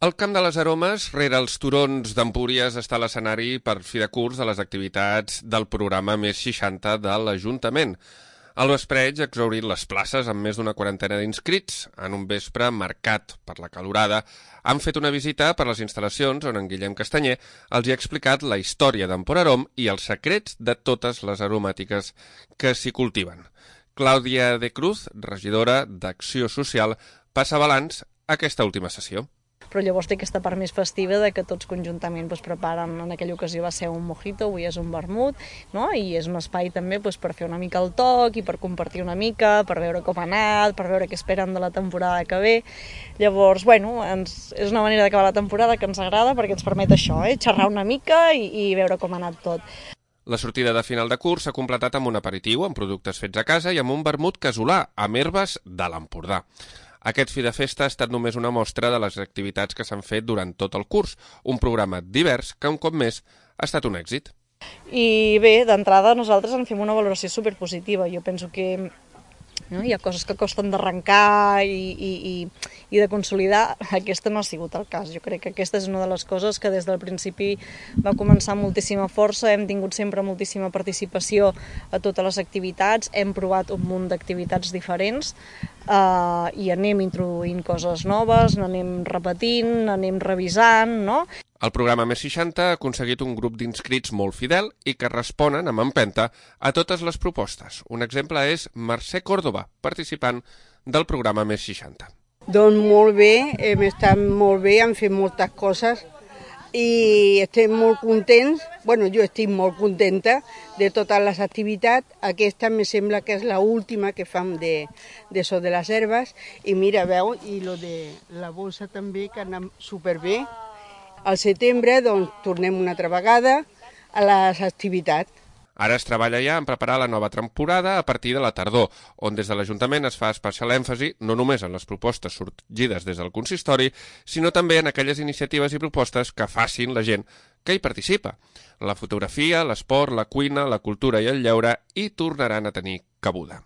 El Camp de les Aromes, rere els turons d'Empúries, està l'escenari per fi de curs de les activitats del programa Més 60 de l'Ajuntament. Al vespreig ha exhaurit les places amb més d'una quarantena d'inscrits. En un vespre marcat per la calorada, han fet una visita per les instal·lacions on en Guillem Castanyer els hi ha explicat la història d'Emporarom i els secrets de totes les aromàtiques que s'hi cultiven. Clàudia de Cruz, regidora d'Acció Social, passa balanç a aquesta última sessió. Però llavors té aquesta part més festiva de que tots conjuntament preparen, en aquella ocasió va ser un mojito, avui és un vermut, no? I és un espai també per fer una mica el toc i per compartir una mica, per veure com ha anat, per veure què esperen de la temporada que ve. Llavors, és una manera d'acabar la temporada que ens agrada perquè ens permet això, xerrar una mica i veure com ha anat tot. La sortida de final de curs s'ha completat amb un aperitiu, amb productes fets a casa i amb un vermut casolà, amb herbes de l'Empordà. Aquest fi de festa ha estat només una mostra de les activitats que s'han fet durant tot el curs, un programa divers que un cop més ha estat un èxit. I bé, d'entrada nosaltres en fem una valoració superpositiva. Jo penso que hi ha coses que costen d'arrencar i de consolidar. Aquesta no ha sigut el cas. Jo crec que aquesta és una de les coses que des del principi va començar amb moltíssima força, hem tingut sempre moltíssima participació a totes les activitats, hem provat un munt d'activitats diferents i anem introduint coses noves, n'anem repetint, n'anem revisant, no? El programa Més 60 ha aconseguit un grup d'inscrits molt fidel i que responen amb empenta a totes les propostes. Un exemple és Mercè Córdoba, participant del programa Més 60. Doncs molt bé, hem estat molt bé, hem fet moltes coses i estem molt contents, jo estic molt contenta de totes les activitats. Aquesta me sembla que és l'última que fem de so de les herbes i mira, veu, i lo de la bolsa també que anem superbé. Al setembre tornem una altra vegada a les activitats. Ara es treballa ja en preparar la nova temporada a partir de la tardor, on des de l'Ajuntament es fa especial èmfasi no només en les propostes sorgides des del consistori, sinó també en aquelles iniciatives i propostes que facin la gent que hi participa. La fotografia, l'esport, la cuina, la cultura i el lleure hi tornaran a tenir cabuda.